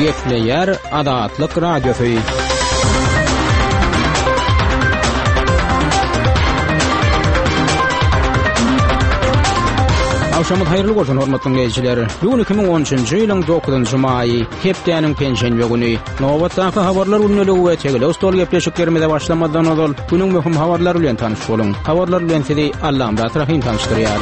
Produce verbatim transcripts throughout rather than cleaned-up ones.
Gepleýär Azatlyk Radiosy. Agşamyz haýyrly bolsun hormatly dinleýjiler. Bu gün iki müň on üçünji ýylyň dokuzynjy maýy, hepdäniň penşenbe güni. Nobatdaky habarlar gündeligi we tegelek stol gepleşiklerimize başlamazdan ozal günüň möhüm habarlary bilen tanyş boluň. Habarlar bilen sizi Allamyrat Rahym tanyşdyrýar.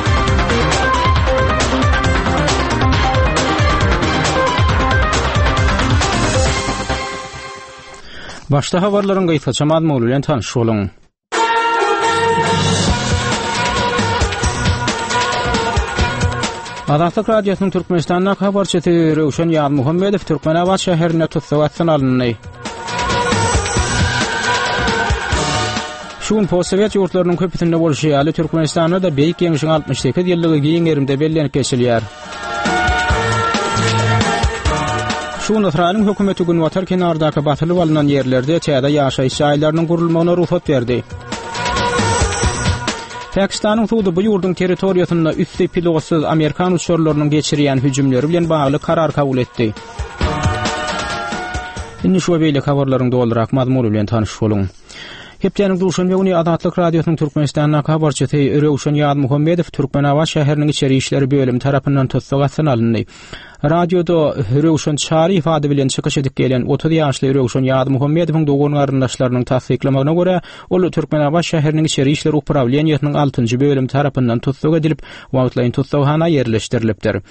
Başda habarlaryň gysgaça mazmuny bilen tanyş boluň. Azatlyk Radiosynyň Türkmenistandaky habarçysy Röwşen Ýazmuhammedow Türkmenabat şäherinde tussag astyna alyndy. Şu gün postsowet ýurtlarynyň köpüsinde bolşy ýaly, Türkmenistanda-da Beýik Ýeňşiň altmyş sekiz ýyllygy giň gerimde bellenip geçilýär. Şu gün Ysraýylyň hökümeti günbatar kenardaky basylyp alnan ýerlerde täze ýaşaýyş jaýlarynyň gurulmagyna rugsat berdi. Pakistanyň sudy bu ýurduň territoriýasynda üsti pilotsyz amerikan uçarlarynyň geçirýän hüjümleri bilen bagly karar kabul etdi. Indi şu we beýleki habarlaryň dolurak mazmuny bilen tanyş boluň. Hepdäniň duşenbe güni Azatlyk Radiosynyň Türkmenistandaky habarçysy Röwşen Ýazmuhammedow Türkmenabat şäheriniň içeri işleri bölümi tarapyndan tussag astyna alyndy. Radioda Röwşen Çaryýew ady bilen çykyş edip gelen otuz ýaşly Röwşen Ýazmuhammedowyň dogan-garyndaşlarynyň tassyklamagyna görä, ol Türkmenabat şäheriniň içeri işler uprawleniýesiniň altynjy bölümi tarapyndan tussag edilip, wagtlaýyn tussaghana ýerleşdirilipdir.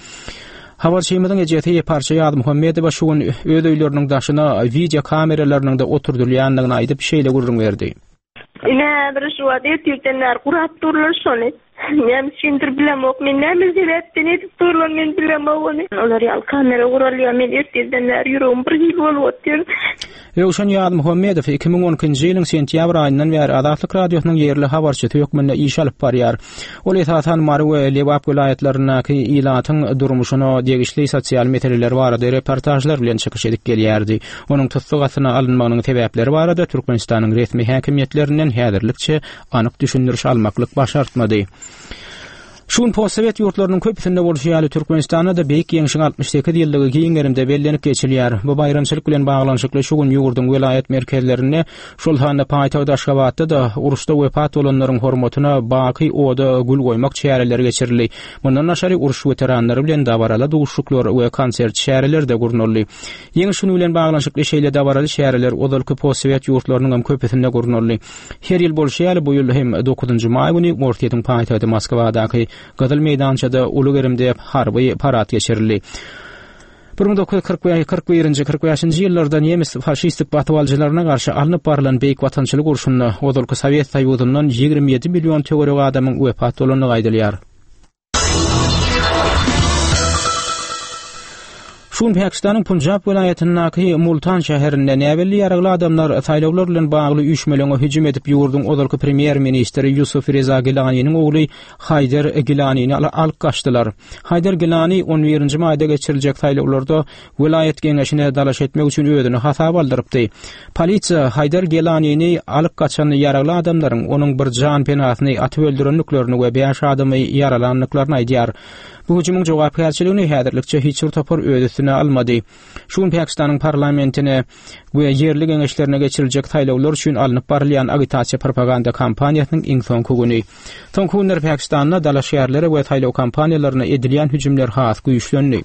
Habarçymyzyň ejesi Parça Ýazmuhammedowa şu gün öz öýleriniň daşyna wideo kameralarynyň-da oturdylýandygyny aýdyp, şeýle gürrüň berdi. Ine, häzir şu wagt ertirden bäri gurap durlar şony. Näme üçindir bilemok. Men näme sebäpden edip durlar men bilemok ony. Olar ýaly kamera guralýar. Men ertirden bäri ýüregim bir hili bolup otyr. Röwşen Ýazmuhammedow iki müň on ikinji ýylyň sentýabr aýyndan bäri Azatlyk Radiosynyň ýerli habarçysy hökmünde iş alyp barýar. Ol esasan Mary we Lebap welaýatlaryndaky ilatyň durmuşyna degişli sosial meseleler barada reportažlar bilen çykyş edip gelýärdi. Onuň tussag astyna alynmagynyň sebäpleri barada Türkmenistanyň resmi häkimiýetlerinden häzirlikçe anyk düşündiriş almaklyk başartmady. Şu gün postsowet ýurtlarynyň köpüsinde bolşy ýaly, Türkmenistanda-da Beýik Ýeňşiň altmyş sekiz ýyllygy giň gerimde bellenip geçilýär. Bu baýramçylyk bilen baglanyşykly şu gün ýurduň welaýat merkezlerinde, şol sanda paýtagt Aşgabatda-da uruşda wepat bolanlaryň hormatyna baky oda gül goýmak çäreleri geçirildi. Mundan daşary, uruş weteranlary bilen dabaraly duşuşyklar we konsert çäreleri-de gurnaldy. Ýeňiş güni bilen baglanyşykly şeýle dabaraly çäreler ozalky postsowet ýurtlarynyň hem köpüsinde gurnaldy. Her ýyl bolşy ýaly, bu ýyl hem dokuzynjy maý güni Orsýetiň paýtagty Moskwadaky Gyzyl meýdançada uly gerimde harby parad geçirildi. Bir müň dokuz ýüz kyrk bäş, kyrk birinji, kyrk bäşinji ýyllarda nemes faşistik basybalyjylaryna garşy alnyp barylan Beýik Watançylyk urşunda ozalky Sowet Soýuzyndan ýigrimi ýedi million töweregi adamyň wepat bolandygy aýdylýar. Şu gün Pakistanyň Punjab welaýatyndaky Multan şäherinde näbelli ýaragly adamlar saýlawlar bilen bagly üýşmeleňe hüjüm edip, ýurduň ozalky premýer-ministri Ýusuf Reza Gilaniniň ogly Haýder Gilanini alyp gaçdylar. Haýder Gilani on birinji maýda geçiriljek saýlawlarda welaýat geňeşine dalaş etmek üçin özüni hasaba aldyrypdy. Polisiýa Haýder Gilanini alyp gaçan ýaragly adamlaryň onuň bir janpenasyny atyp öldürendiklerini we bäş adamy ýaralandyklaryny aýdýar. Bu hüjümiň jogapkärçiligini häzirlikçe hiç bir topar öz üstüne almady. Şu gün Pakistanyň parlamentine we ýerli geňeşlerine geçiriljek saýlawlar üçin alnyp barylýan agitasiýa-propaganda kampaniýasynyň iň soňky güni. Soňky günler Pakistanda dalaşgärlere we saýlaw kampaniýalaryna edilýän hüjümler has güýçlendi.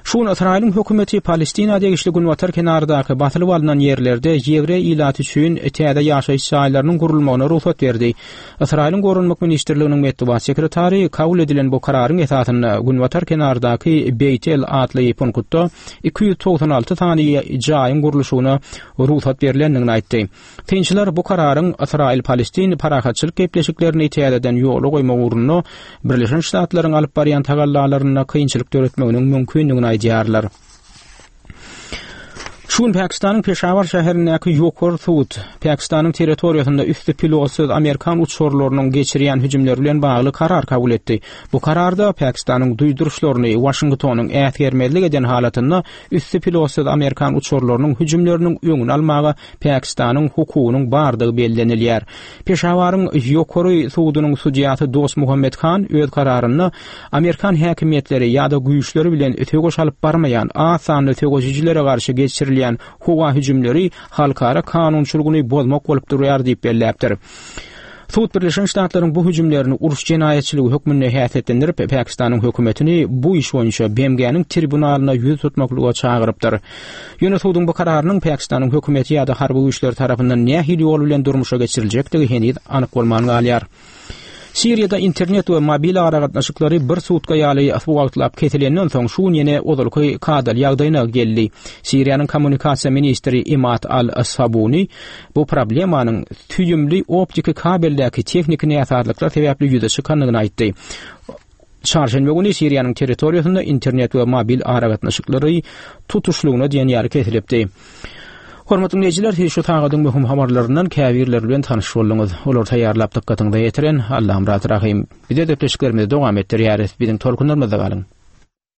Şu gün Ysraýylyň hökümeti Palestina degişli günbatar kenardaky basylyp alnan ýerlerde ýewreý ilaty üçin täze ýaşaýyş jaýlarynyň gurulmagyna rugsat berdi. Ysraýylyň Goranmak ministrliginiň metbugat sekretary kabul edilen bu kararyň esasynda günbatar kenardaky Beýtel atly punktda iki ýüz togsan alty sany jaýyň gurluşygyna rugsat berlendigini aýtdy. Synçylar bu kararyň Ysraýyl-Palestin parahatçylyk gepleşiklerini täzeden ýola goýmak ugrunda Birleşen Ştatlaryň alyp barýan tagallalarynda kynçylyk döretmeginiň mümkindigini aýdýarlar. Şu gün Pakistanyň Peşawar şäherindäki ýokary sud Pakistanyň territoriýasynda üsti pilotsyz amerikan uçarlarynyň geçirýän hüjümleri bilen bagly karar kabul etdi. Bu kararda Pakistanyň duýduryşlaryny Waşingtonyň äsgermezlik eden halatynda üsti pilotsyz amerikan uçarlarynyň hüjümleriniň öňüni almaga Pakistanyň hukugynyň bardygy bellenilýär. Peşawaryň ýokary sudunyň sudýasy Dost Muhammed Han öz kararynda amerikan häkimiýetleri ýa-da güýçleri bilen söweş alyp barmaýan az sanly söweşijilere garşy geçirilýän howa hüjümleri halkara kanunçylygyny bozmak bolup durýar diýip belläpdir. Sud Birleşen Ştatlaryň bu hüjümlerini uruş jenaýatçylygy hökmünde häsiýetlendirip, Pakistanyň hökümetini bu iş boýunça B M G-niň tribunalyna ýüz tutmaklyga çagyrypdyr. Ýöne suduň bu kararynyň Pakistanyň hökümeti ýa-da harby güýçleri tarapyndan nähili ýol bilen durmuşa geçiriljekdigi heniz anyk bolman galýar. Siriýada internet we mobil aragatnaşyklary bir sutka ýaly wagtlap kesilenden soň şu gün ýene ozalky kadaly ýagdaýyna geldi. Siriýanyň kommunikasiýa ministri Imad Al-Sabuni bu problemanyň süýümli optiki kabeldäki tehniki näsazlyklar sebäpli ýüze çykandygyny aýtdy. Çarşenbe güni Siriýanyň territoriýasynda internet we mobil aragatnaşyklary tutuşlygyna diýen ýaly kesilipdi. Hormatly dinleýjiler, siz şu sagadyň möhüm habarlaryndan käbirleri bilen tanyş bolduňyz. Olary taýýarlap dykgatyňyza ýetiren Allamyrat Rahym. Biz gepleşiklerimizi dowam etdirýäris. Biziň tolkunlarymyzda galyň.